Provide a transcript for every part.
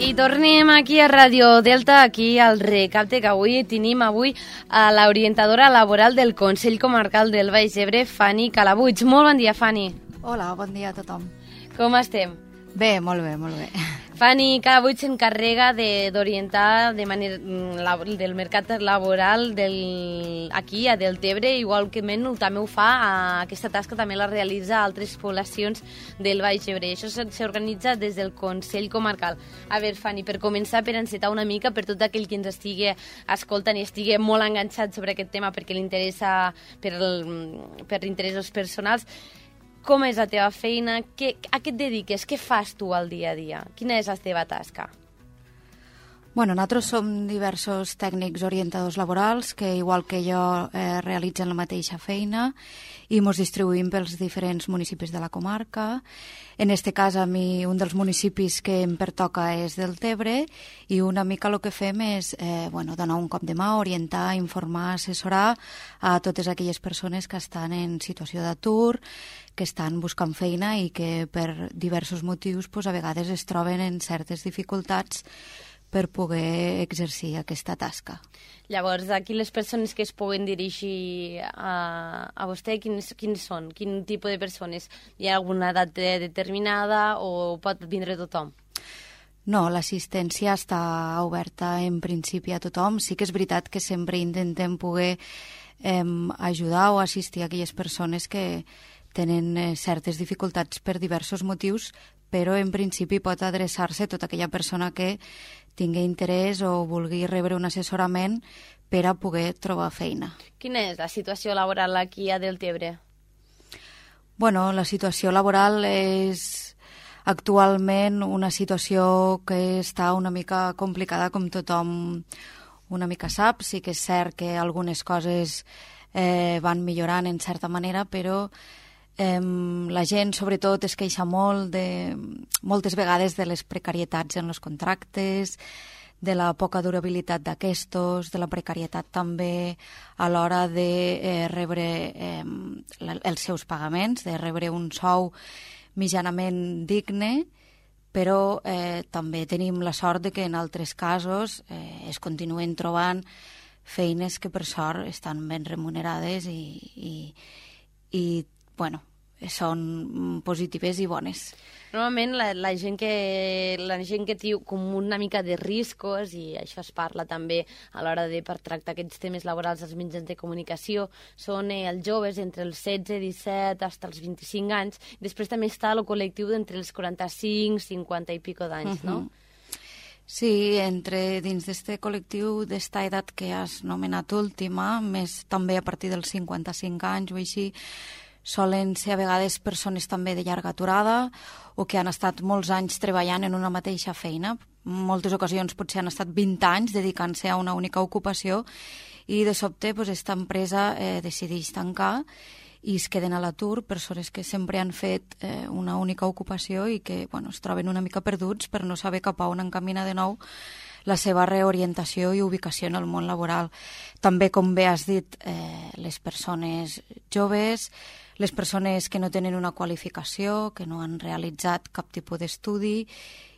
I tornem aquí a Radio Delta, aquí al recapte, que avui tenim a l'orientadora laboral del Consell Comarcal del Baix Ebre, Fanny Calabuig. Molt bon dia, Fanny. Hola, bon dia a tothom. Com estem? Bé, molt bé, molt bé. Fanny Calabuig s'encarrega d'orientar de manera del mercat laboral aquí a Deltebre, igual que també ho fa, aquesta tasca també la realitza a altres poblacions del Baix Ebre. Això s'organitza des del Consell Comarcal. A veure, Fanny, per començar, per encetar una mica, per tot aquell que ens estigui escoltant i estigui molt enganxat sobre aquest tema perquè li interessa per interessos personals, com és la teva feina? A què et dediques? Què fas tu al dia a dia? Quina és la teva tasca? Bueno, nosaltres som diversos tècnics orientadors laborals que, igual que jo, realitzen la mateixa feina i ens distribuïm pels diferents municipis de la comarca. En este cas, a mi, un dels municipis que em pertoca és Deltebre i una mica el que fem és donar un cop de mà, orientar, informar, assessorar a totes aquelles persones que estan en situació d'atur, que estan buscant feina i que per diversos motius a vegades es troben en certes dificultats per poder exercir aquesta tasca. Llavors, aquí les persones que es puguen dirigir a vostè, quins són? Quin tipus de persones? Hi ha alguna edat determinada o pot vindre tothom? No, l'assistència està oberta en principi a tothom. Sí que és veritat que sempre intentem poder ajudar o assistir a aquelles persones que tenen certes dificultats per diversos motius, però en principi pot adreçar-se a tota aquella persona que tingui interès o vulgui rebre un assessorament per a poder trobar feina. Quina és la situació laboral aquí a Deltebre? Bueno, la situació laboral és actualment una situació que està una mica complicada, com tothom una mica sap. Sí que és cert que algunes coses van millorant en certa manera, però la gent, sobretot, es queixa moltes vegades de les precarietats en els contractes, de la poca durabilitat d'aquestos, de la precarietat també a l'hora de rebre els seus pagaments, de rebre un sou mitjanament digne, però també tenim la sort de que en altres casos es continuen trobant feines que per sort estan ben remunerades i són positives i bones. Normalment la gent que té com una mica de riscos, i això es parla també a l'hora de per tractar aquests temes laborals als mitjans de comunicació, són els joves entre els 16, 17 fins als 25 anys. Després també està el col·lectiu d'entre els 45, 50 i pico d'anys, no? Sí, dins d'este col·lectiu, d'esta edat que has nomenat última, més també a partir dels 55 anys o així, solen ser a vegades persones també de llarga aturada o que han estat molts anys treballant en una mateixa feina. En moltes ocasions potser han estat 20 anys dedicant-se a una única ocupació i de sobte aquesta empresa decideix tancar i es queden a l'atur persones que sempre han fet una única ocupació i que es troben una mica perduts per no saber cap a on encaminar de nou la seva reorientació i ubicació en el món laboral. També, com bé has dit, les persones joves, les persones que no tenen una qualificació, que no han realitzat cap tipus d'estudi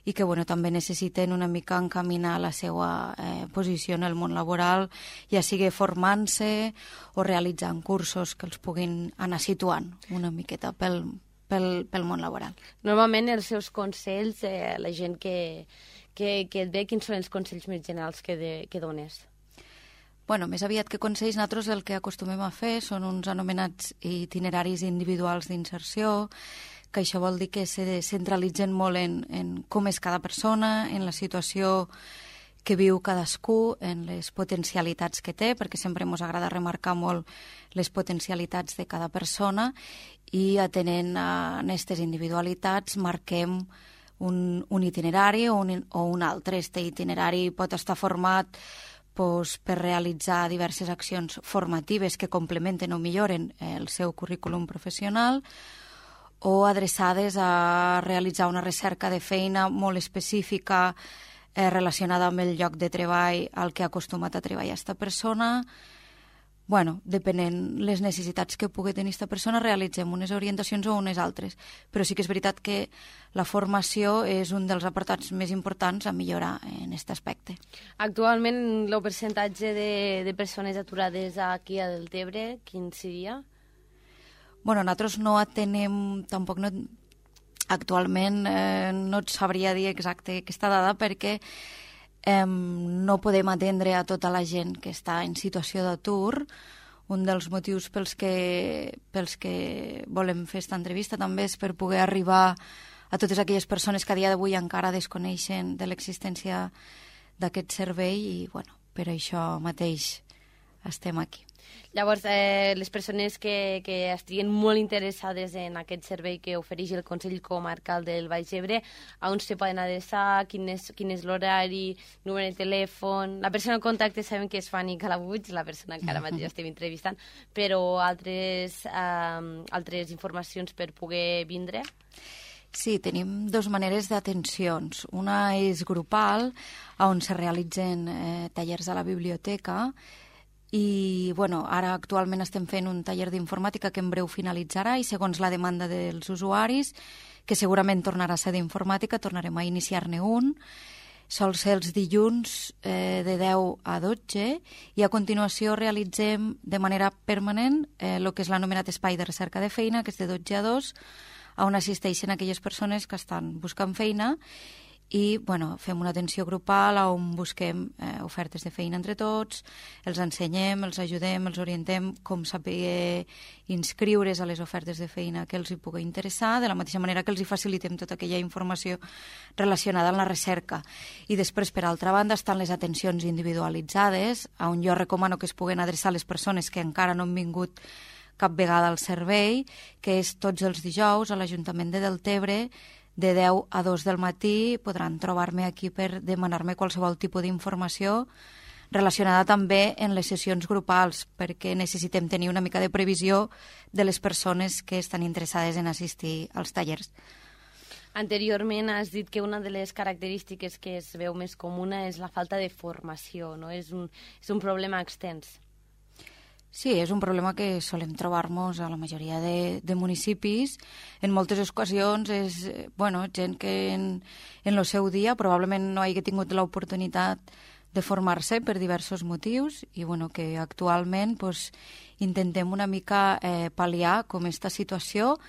i que també necessiten una mica encaminar la seva posició en el món laboral, ja sigui formant-se o realitzant cursos que els puguin anar situant una miqueta pel món laboral. Normalment els seus consells, la gent que et ve, quins són els consells més generals que dones? Més aviat que consells, nosaltres el que acostumem a fer són uns anomenats itineraris individuals d'inserció, que això vol dir que se centralitzen molt en com és cada persona, en la situació que viu cadascú, en les potencialitats que té, perquè sempre ens agrada remarcar molt les potencialitats de cada persona i atenent a aquestes individualitats marquem un itinerari o un altre. Este itinerari pot estar format per realitzar diverses accions formatives que complementen o milloren el seu currículum professional o adreçades a realitzar una recerca de feina molt específica relacionada amb el lloc de treball al que ha acostumat a treballar aquesta persona, bueno, depenent les necessitats que pugui tenir aquesta persona, realitzem unes orientacions o unes altres. Però sí que és veritat que la formació és un dels apartats més importants a millorar en aquest aspecte. Actualment, el percentatge de persones aturades aquí a Deltebre, quin seria? Bueno, nosaltres no atenem, tampoc no, actualment no et sabria dir exacte aquesta dada perquè no podem atendre a tota la gent que està en situació d'atur. Un dels motius pels que volem fer aquesta entrevista també és per poder arribar a totes aquelles persones que a dia d'avui encara desconeixen de l'existència d'aquest servei i, bueno, per això mateix estem aquí. Llavors, les persones que estiguen molt interessades en aquest servei que ofereix el Consell Comarcal del Baix Ebre, a on se poden adreçar, quin és l'horari, número de telèfon... La persona en contacte sabem que és Fanny Calabuig, la persona que ara mateix estem entrevistant, però altres informacions per poder vindre? Sí, tenim dues maneres d'atencions. Una és grupal, on se realitzen tallers a la biblioteca, i bueno, ara actualment estem fent un taller d'informàtica que en breu finalitzarà i segons la demanda dels usuaris, que segurament tornarà a ser d'informàtica, tornarem a iniciar-ne un. Sol ser els dilluns de 10 a 12 i a continuació realitzem de manera permanent el que és l'anomenat espai de recerca de feina, que és de 12 a 2, on assisteixen aquelles persones que estan buscant feina i bueno, fem una atenció grupal on busquem ofertes de feina entre tots, els ensenyem, els ajudem, els orientem com saber inscriure's a les ofertes de feina que els hi pugui interessar, de la mateixa manera que els hi facilitem tota aquella informació relacionada amb la recerca. I després, per altra banda, estan les atencions individualitzades, on jo recomano que es puguen adreçar les persones que encara no han vingut cap vegada al servei, que és tots els dijous a l'Ajuntament de Deltebre, de 10 a 2 del matí. Podran trobar-me aquí per demanar-me qualsevol tipus d'informació relacionada també en les sessions grupals, perquè necessitem tenir una mica de previsió de les persones que estan interessades en assistir als tallers. Anteriorment has dit que una de les característiques que es veu més comuna és la falta de formació, no? És un problema extens. Sí, és un problema que solem trobar-nos a la majoria de municipis. En moltes ocasions és gent que en el seu dia probablement no hagi tingut l'oportunitat de formar-se per diversos motius i que actualment intentem una mica pal·liar com aquesta situació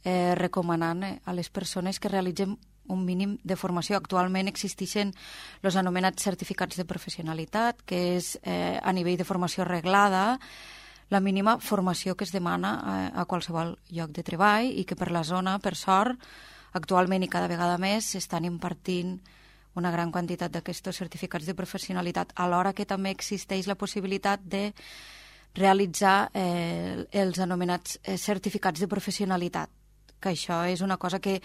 recomanant a les persones que realitzen un mínim de formació. Actualment existeixen els anomenats certificats de professionalitat, que és a nivell de formació reglada, la mínima formació que es demana a qualsevol lloc de treball i que per la zona, per sort, actualment i cada vegada més s'estan impartint una gran quantitat d'aquests certificats de professionalitat, alhora que també existeix la possibilitat de realitzar els anomenats certificats de professionalitat, que això és una cosa que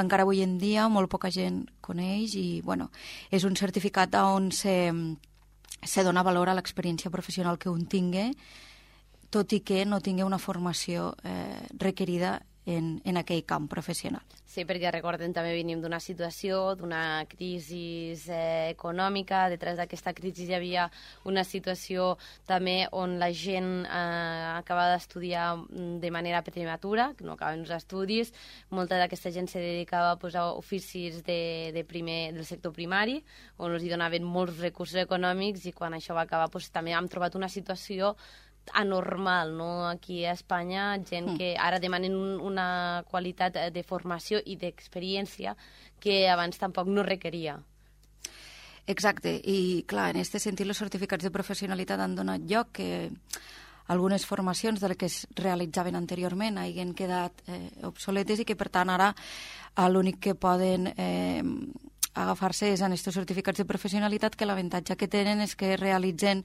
encara avui en dia molt poca gent coneix i és un certificat on se dona valor a l'experiència professional que un tingui, tot i que no tingui una formació requerida en aquell camp professional. Sí, perquè recordem, també venim d'una situació, d'una crisi econòmica. Detrás d'aquesta crisi hi havia una situació també on la gent acaba d'estudiar de manera prematura, que no acaben els estudis. Molta d'aquesta gent se dedicava a oficis del sector primari, on els donaven molts recursos econòmics i quan això va acabar també hem trobat una situació anormal, no? Aquí a Espanya, gent que ara demanen una qualitat de formació i d'experiència que abans tampoc no requeria. Exacte, i clar, en aquest sentit els certificats de professionalitat han donat lloc que algunes formacions de les que es realitzaven anteriorment hagin quedat obsoletes i que per tant ara l'únic que poden agafar-se és en aquests certificats de professionalitat, que l'avantatge que tenen és que realitzen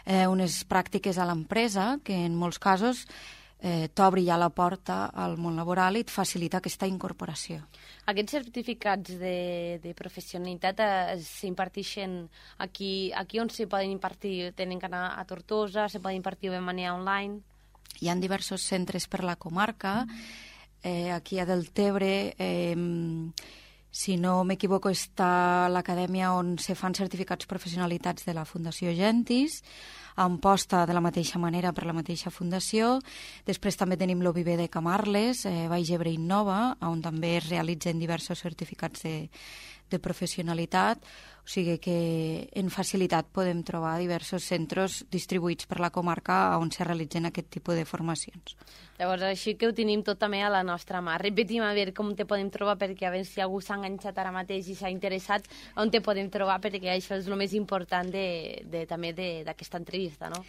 unes pràctiques a l'empresa que en molts casos t'obri ja la porta al món laboral i et facilita aquesta incorporació. Aquests certificats de professionalitat s'imparteixen aquí on se poden impartir? Tenen que anar a Tortosa, se poden impartir de manera online? Hi ha diversos centres per la comarca. Aquí a Deltebre Si no m'equivoco, està l'Acadèmia on se fan certificats professionalitats de la Fundació Gentis, Amposta de la mateixa manera per la mateixa fundació. Després també tenim l'OVB de Camarles, Baix Ebre Innova, on també es realitzen diversos certificats de professionalitat, o sigui que en facilitat podem trobar diversos centres distribuïts per la comarca on se realitzen aquest tipus de formacions. Llavors, així que ho tenim tot també a la nostra mà. Repetim a veure com te podem trobar, perquè a veure si algú s'ha enganxat ara mateix i s'ha interessat, on te podem trobar, perquè això és el més important també d'aquesta entrevista, no?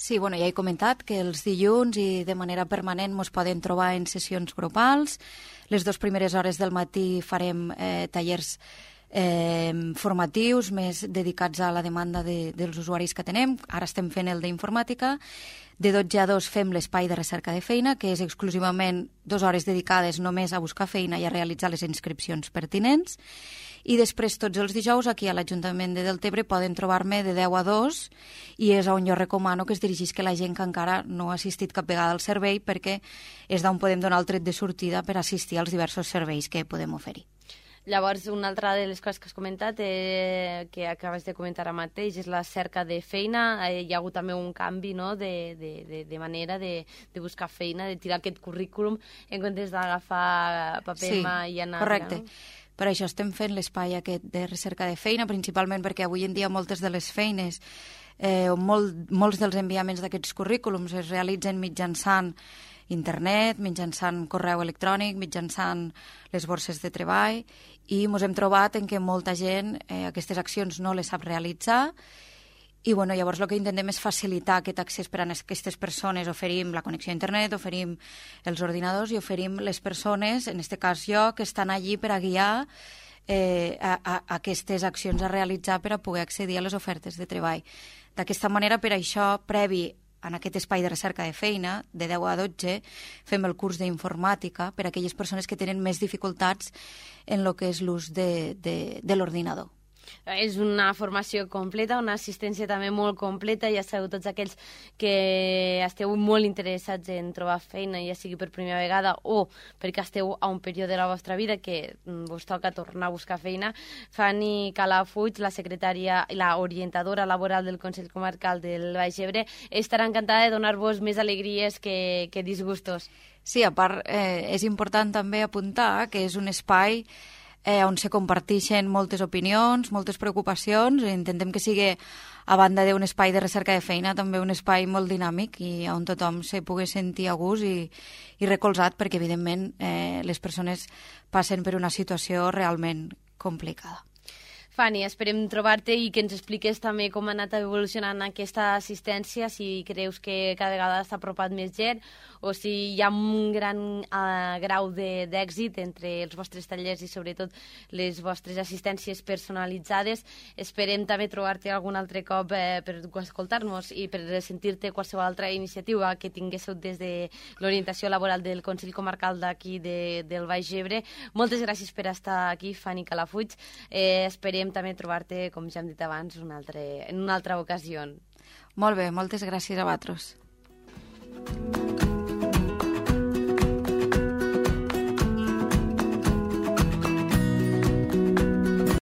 Sí, bueno, ja he comentat que els dilluns i de manera permanent ens poden trobar en sessions grupals. Les 2 primeres hores del matí farem tallers formatius més dedicats a la demanda dels usuaris que tenem. Ara estem fent el d'informàtica. De 12 a 2 fem l'espai de recerca de feina, que és exclusivament 2 hores dedicades només a buscar feina i a realitzar les inscripcions pertinents. I després, tots els dijous, aquí a l'Ajuntament de Deltebre poden trobar-me de 10 a 2 i és on jo recomano que es dirigís la gent que encara no ha assistit cap vegada al servei, perquè és d'on podem donar el tret de sortida per assistir als diversos serveis que podem oferir. Llavors, una altra de les coses que has comentat, que acabes de comentar ara mateix, és la cerca de feina. Hi ha hagut també un canvi, no?, de manera de buscar feina, de tirar aquest currículum en comptes d'agafar paper i anar... Correcte. No? Per això estem fent l'espai aquest de recerca de feina, principalment perquè avui en dia moltes de les feines molts dels enviaments d'aquests currículums es realitzen mitjançant internet, mitjançant correu electrònic, mitjançant les borses de treball, i ens hem trobat en què molta gent aquestes accions no les sap realitzar. I bueno, llavors el que intentem és facilitar aquest accés per a aquestes persones. Oferim la connexió a internet, oferim els ordinadors i oferim les persones, en aquest cas jo, que estan allí per a guiar a aquestes accions a realitzar per a poder accedir a les ofertes de treball. D'aquesta manera, per això, previ en aquest espai de recerca de feina, de 10 a 12, fem el curs d'informàtica per a aquelles persones que tenen més dificultats en el que és l'ús de l'ordinador. És una formació completa, una assistència també molt completa. Ja sabeu, tots aquells que esteu molt interessats en trobar feina, ja sigui per primera vegada o perquè esteu a un període de la vostra vida que vos toca tornar a buscar feina, Fanny Calafuig, la secretària i la orientadora laboral del Consell Comarcal del Baix Ebre, estarà encantada de donar-vos més alegries que disgustos. Sí, a part, és important també apuntar que és un espai on se comparteixen moltes opinions, moltes preocupacions, i intentem que sigui, a banda d'un espai de recerca de feina, també un espai molt dinàmic i on tothom se pugui sentir a gust i recolzat, perquè evidentment les persones passen per una situació realment complicada. Fanny, esperem trobar-te i que ens expliques també com ha anat evolucionant aquesta assistència, si creus que cada vegada s'ha apropat més gent o si hi ha un gran grau d'èxit entre els vostres tallers i sobretot les vostres assistències personalitzades. Esperem també trobar-te algun altre cop per escoltar-nos i per sentir-te qualsevol altra iniciativa que tinguéssiu des de l'orientació laboral del Consell Comarcal d'aquí del Baix Ebre. Moltes gràcies per estar aquí, Fanny Calafuig. Esperem també trobar-te, com ja hem dit abans, en una altra ocasió. Molt bé, moltes gràcies a vosaltres.